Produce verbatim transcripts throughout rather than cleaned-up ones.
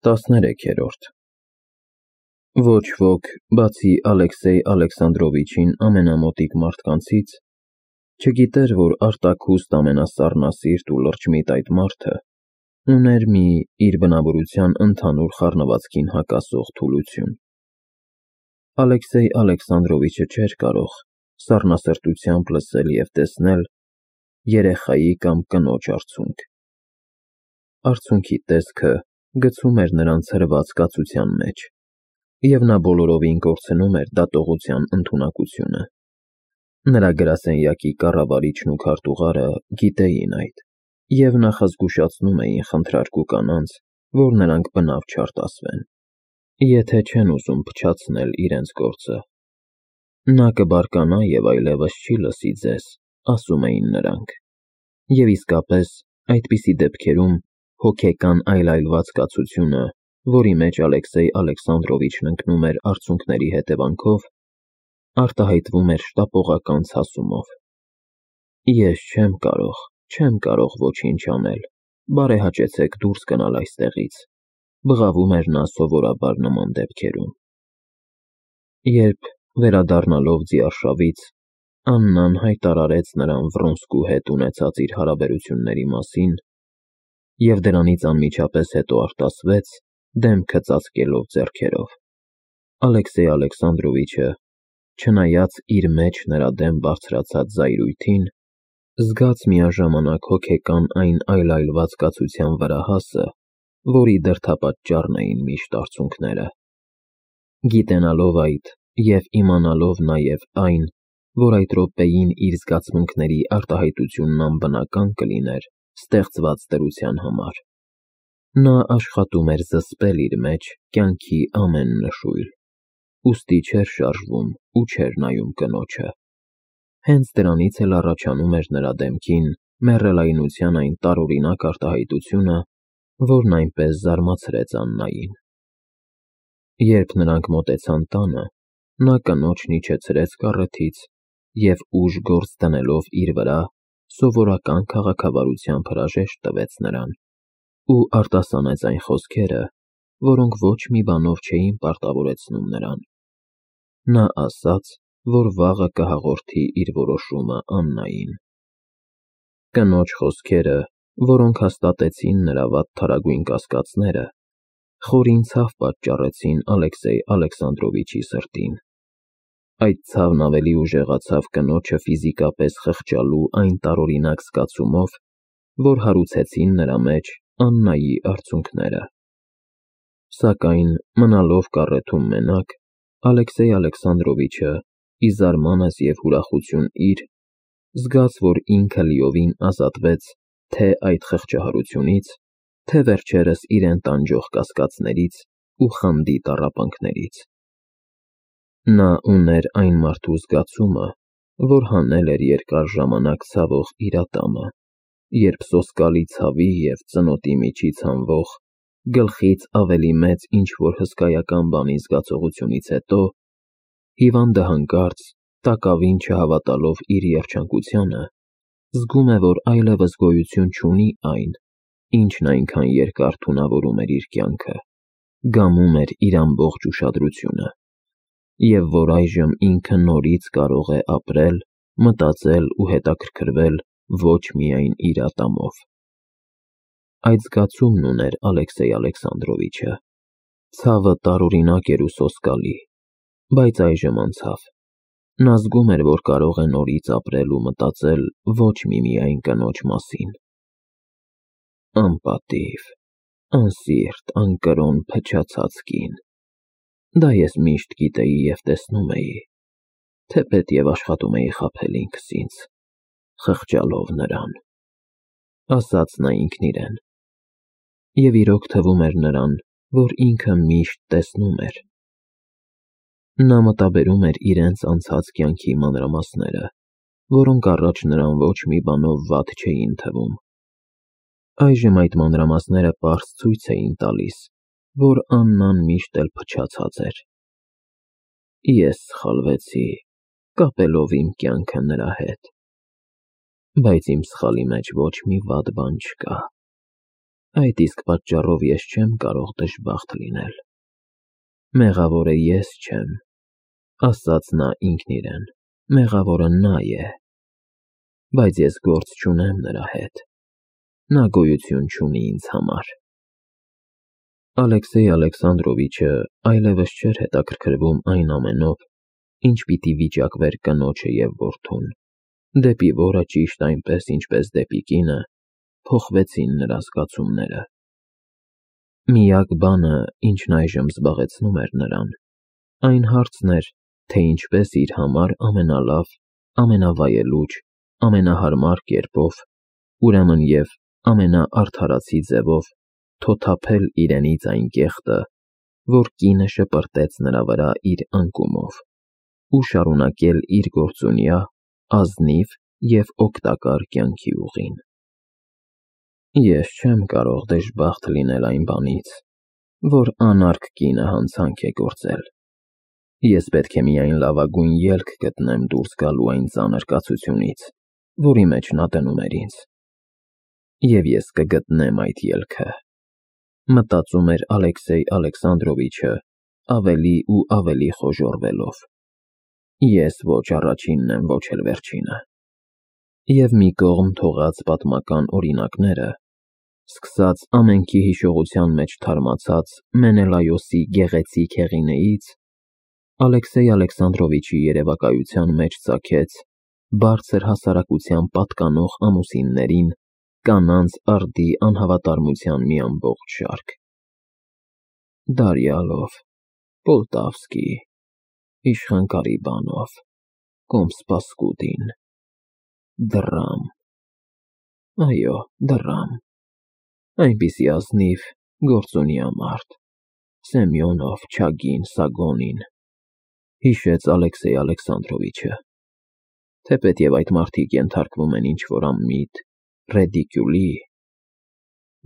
տասներեքերորդ Ոչ ոք, բացի Ալեքսեյ Ալեքսանդրովիչին ամենամոտիկ մարդկանցից, չգիտեր, որ արտաքուստ ամենասառնասիրտ ու լրջմիտ այդ մարդը ուներ մի իր բնավորության ընդհանուր խառնվածքին հակասող թուլություն։ Ալեքսեյ Ալեքսանդրովիչը չէր կարող սառնասրտությամբ լսել և տեսնել երեխայի կամ կնոջ արցունք։ Արցունքի տեսքը գցում էր նրան ցրված կացության մեջ, և նա բոլորովին կորցնում էր դատողության ընդունակությունը։ Նրա գրասենյակի կառավարիչն ու քարտուղարը գիտեին այդ և նախազգուշացնում էին խնդրարկու կանանց, որ նրանք բնավ չարտասվեն, եթե չեն ուզում փչացնել իրենց գործը։ Նա կբարկանա և այլևս չի լսի ձեզ, ասում էին նրանք, և իսկապես այդպիսի դեպքերում հոգեկան այլայլված կացությունը, որի մեջ Ալեքսեյ Ալեքսանդրովիչն ընկնում էր արցունքների հետևանքով, արտահայտվում էր շտապողական ցասումով։ Ես չեմ կարող, չեմ կարող ոչինչ անել, բարեհաճեցեք դուրս գնալ այստեղից, բղավում էր նա սովորաբար նման դեպքերում։ Երբ, վերադառնալով ձիարշավից, Աննան հայտարարեց նրան Վռոնսկու հետ ունեցած իր հարաբերությունների մասին և դրանից անմիջապես հետո արտասվեց, դեմքը ծածկելով ձեռքերով, Ալեքսեյ Ալեքսանդրովիչը, չնայած իր մեջ նրա դեմ բարձրացած զայրույթին, զգաց միաժամանակ հոգեկան այն այլայլված կացության վրահասը, որի դրդապատճառն էին միշտ արցունքները։ Գիտենալով այդ և իմանալով նաև այն, որ այդ րոպեին իր զգացմունքների արտահայտությունն անբնական կլիներ ստեղծված դրության համար, նա աշխատում էր զսպել իր մեջ կյանքի ամեն նշույլ, ուստի չէր շարժվում ու չէր նայում կնոջը։ Հենց դրանից էլ առաջանում էր նրա դեմքին մեռելայնության այն տարօրինակ արտահայտությունը, որն այնպես զարմացրեց Աննային։ Երբ նրանք մոտեցան տանը, նա կնոջն իջեցրեց կառեթից և ուժ գործ դնելով իր վրա, սովորական քաղաքավարությամբ հրաժեշտ տվեց նրան ու արտասանեց այն խոսքերը, որոնք ոչ մի բանով չէին պարտավորեցնում նրան։ Նա ասաց, որ վաղը կհաղորդի իր որոշումը Աննային։ Կնոջ խոսքերը, որոնք հաստատեցին նրա վատթարագույն կասկածները, խորին ցավ պատճառեցին Ալեքսեյ Ալեքսանդրովիչի սրտին։ Այդ ցավն ավելի ուժեղացավ կնոջը ֆիզիկապես խղճալու այն տարօրինակ զգացումով, որ հարուցեցին նրա մեջ Աննայի արցունքները։ Սակայն, մնալով կառեթում մենակ, Ալեքսեյ Ալեքսանդրովիչը, ի զարմանս և ուրախություն իր, զգաց, որ ինքը լիովին ազատվեց թե այդ խղճահարությունից, թե վերջերս իրեն տանջող կասկածներից ու խանդի տառապանքներից։ Նա ուներ այն մարդու զգացումը, որ հանել էր երկար ժամանակ ցավող իր ատամը, երբ սոսկալի ցավի և ծնոտի միջից հանվող, գլխից ավելի մեծ ինչ-որ հսկայական բանի զգացողությունից հետո, հիվանդը հանկարծ, տակավին չհավատալով իր երջանկությանը, զգում է, որ այլևս գոյություն չունի այն, ինչն այնքան երկար թունավորում էր իր կյանքը, գամում էր իր ամբողջ ուշադրությունը, և որ այժմ ինքը նորից կարող է ապրել, մտածել ու հետաքրքրվել ոչ միայն իր ատամով։ Այդ զգացումն ուներ Ալեքսեյ Ալեքսանդրովիչը։ Ցավը տարօրինակ էր ու սոսկալի, բայց այժմ անցավ։ Նա զգում էր, որ կարող է նորից ապրել ու մտածել ոչ միմիայն կնոջ մասին։ Անպատիվ, անսիրտ, անկրոն, փչացած կին։ Դա ես միշտ գիտեի և տեսնում էի, թեպետ և աշխատում էի խաբել ինքս ինձ, խղճալով նրան, ասաց նա ինքն իրեն։ Եվ իրոք թվում էր նրան, որ ինքը միշտ տեսնում էր։ Նա մտաբերում էր իրենց անցած կյանքի մանրամասները, որոնք առաջ նրան ոչ մի բանով վատ չէին թվում։ Այժմ այդ մանրամասները պարզ ցույց էին տալիս, որ Աննան միշտ էլ փչացած էր։ Ես սխալվեցի, կապելով իմ կյանքը նրա հետ, բայց իմ սխալի մեջ ոչ մի վատ բան չկա։ Այդ իսկ պատճառով ես չեմ կարող դժբախտ լինել։ Մեղավորը ես չեմ, ասաց նա ինքն իրեն, մեղավորը նա է, բայց ես գործ չունեմ նրա հետ, նա գոյություն չունի ինձ համար։ Ալեքսեյ Ալեքսանդրովիչը այլևս չէր հետաքրքրվում այն ամենով, ինչ պիտի վիճակվեր կնոջը և որդուն, դեպի որը ճիշտ այնպես, ինչպես դեպի կինը, փոխվեցին նրա զգացումները։ Միակ բանը, ինչն այժմ զբաղեցնում էր նրան, այն հարցն էր, թե ինչպես իր համար ամենալավ, ամենավայելուչ, ամենահարմար կերպով, ուրեմն և ամենաարդարացի ձևով թոթափել իրենից այն կեղտը, որ կինը շպրտեց նրա վրա իր անկումով, ու շարունակել իր գործունյա, ազնիվ և օգտակար կյանքի ուղին։ Ես չեմ կարող դժբախտ լինել այն բանից, որ անարգ կինը հանցանք է գործել։ Ես պետք է միայն լավագույն ելք գտնեմ դուրս գալու այն ծանր կացությունից, որի մեջ նա դնում էր ինձ։ Եվ ես կգտնեմ այդ ելքը, մտածում էր Ալեքսեյ Ալեքսանդրովիչը ավելի ու ավելի խոժոռվելով։ Ես ոչ առաջինն եմ, ոչ էլ վերջինը։ Եվ մի կողմ թողած պատմական օրինակները, սկսած ամենքի հիշողության մեջ թարմացած Մենելայոսի գեղեցիկ հեղինեից, Ալեքսեյ Ալեքսանդրովիչի երևակայության մեջ ծագեց բարձր հասարակության պատկանող ամուսիններին կանանց արդի անհավատարմության մի ամբողջ շարք. Դարյալով, Պոլտավսկի, Իշխան Կարիբանով, Կոմս Պասկուդին, դռամ, այո, դռամ, այնպիսի ազնիվ, գործունյա մարդ, Սեմյոնով, Չագին, Սագոնին, հիշեց Ալեքսեյ Ալեքսանդրովիչը, թեպետև այդ մարդիկ ենթարկվում են ինչ-որ անմիտ, ռեդիկյուլի,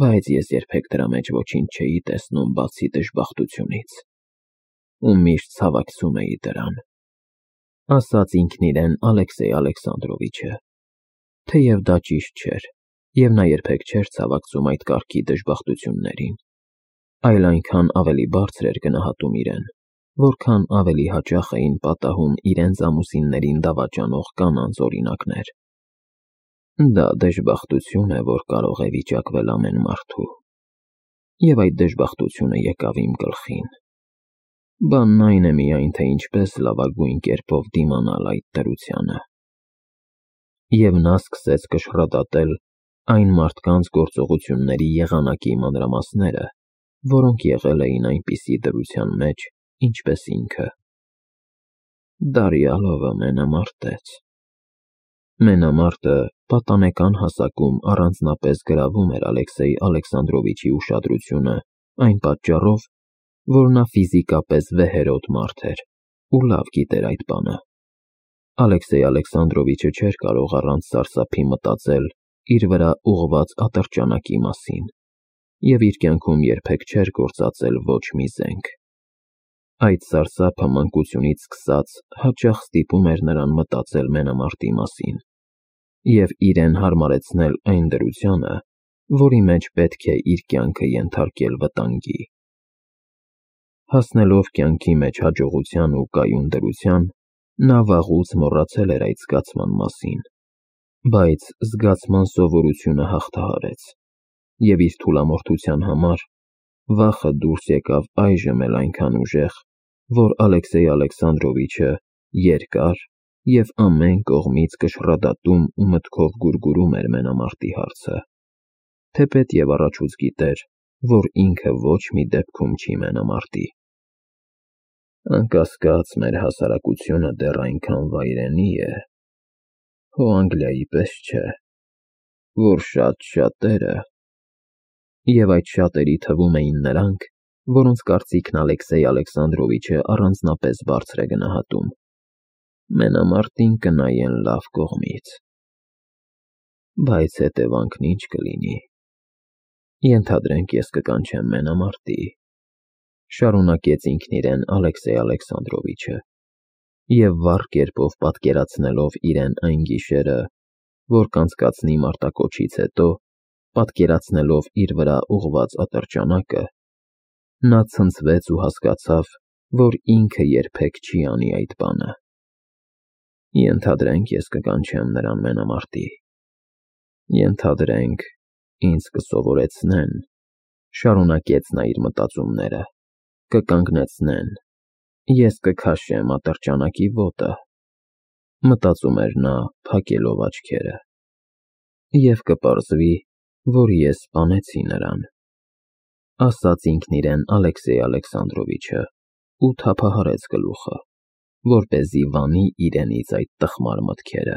բայց ես երբեք դրա մեջ ոչինչ չէի տեսնում բացի դժբախտությունից, ու միշտ ցավակցում էի դրան, ասաց ինքն իրեն Ալեքսեյ Ալեքսանդրովիչը, թեև դա ճիշտ չէր, և նա երբեք չէր ցավակցում այդ կարգի դժբախտություններին, այլ այնքան ավելի բարձր էր գնահատում իրեն, որքան ավելի հաճախ էին պատահում իրենց ամուսիններին դավաճանող կանանց օրինակներ։ Դա դժբախտություն է, որ կարող է վիճակվել ամեն մարդու, և այդ դժբախտությունը եկավ իմ գլխին։ Բանն այն է միայն, թե ինչպես լավագույն կերպով դիմանալ այդ դրությանը։ Եվ նա սկսեց կշռադատել այն մարդկանց գործողությունների եղանակի մանրամասները, որոնք եղել էին այնպիսի դրության մեջ, ինչպես ինքը։ Դարյալովը մենամարտեց։ Մենամարտը պատանեկան հասակում առանձնապես գրավում էր Ալեքսեյ Ալեքսանդրովիչի ուշադրությունը այն պատճառով, որ նա ֆիզիկապես վեհերոտ մարդ էր ու լավ գիտեր այդ բանը։ Ալեքսեյ Ալեքսանդրովիչը չէր կարող առանց սարսափի մտածել իր վրա ուղղված ատրճանակի մասին և իր կյանքում երբեք չէր գործածել ոչ մի զենք։ Այդ սարսափը մանկությունից սկսած հաճախ ստիպում էր նրան մտածել մենամարտի մասին և իրեն հարմարեցնել այն դրությանը, որի մեջ պետք է իր կյանքը ենթարկել վտանգի։ Հասնելով կյանքի մեջ հաջողության ու կայուն դրության, նա վաղուց մոռացել էր այդ զգացման մասին, բայց զգացման սովորությունը հաղթահարեց, և իր թուլամորթության համար վախը դուրս եկավ այժմ էլ այնքան ուժեղ, որ Ալեքսեյ Ալեքսանդրովիչը երկար և ամեն կողմից կշռադատում ու մտքով գուրգուրում էր մենամարտի հարցը, թեպետև առաջուց գիտեր, որ ինքը ոչ մի դեպքում չի մենամարտի։ Անկասկած, մեր հասարակությունը դեռ այնքան վայրենի է, հո Անգլիայի պես չէ, որ շատ շատերը, և այդ շատերի թվում էին նրանք, որոնց կարծիքն Ալեքսեյ Ալեքսանդրովիչը առանձնապես բարձր է գնահատում, մենամարտին կնայեն լավ կողմից։ Բայց հետևանքն ինչ կլինի։ Ենթադրենք ես կկանչեմ մենամարտի, շարունակեց ինքն իրեն Ալեքսեյ Ալեքսանդրովիչը, և վառ կերպով պատկերացնելով իրեն այն գիշերը, որ կանցկացնի մարտակոչից հետո, պատկերացնելով իր վրա ուղված ատրճանակը, նա ցնցվեց ու հասկացավ, որ ինքը երբեք չի անի այդ բանը։ Ենթադրենք, ես կկանչեմ նրան մենամարտի։ Ենթադրենք, ինձ կսովորեցնեն, շարունակեց նա իր մտածումները, կկանգնեցնեն, ես կքաշեմ ատրճանակի ոտը, մտածում էր նա, փակելով աչքերը, և կպարզվի, որ ես սպանեցի նրան, ասաց ինքն իրեն Ալեքսեյ Ալեքսանդրովիչը ու թափահարեց գլուխը, որպեսզի վանի իրենից այդ տխմար մտքերը։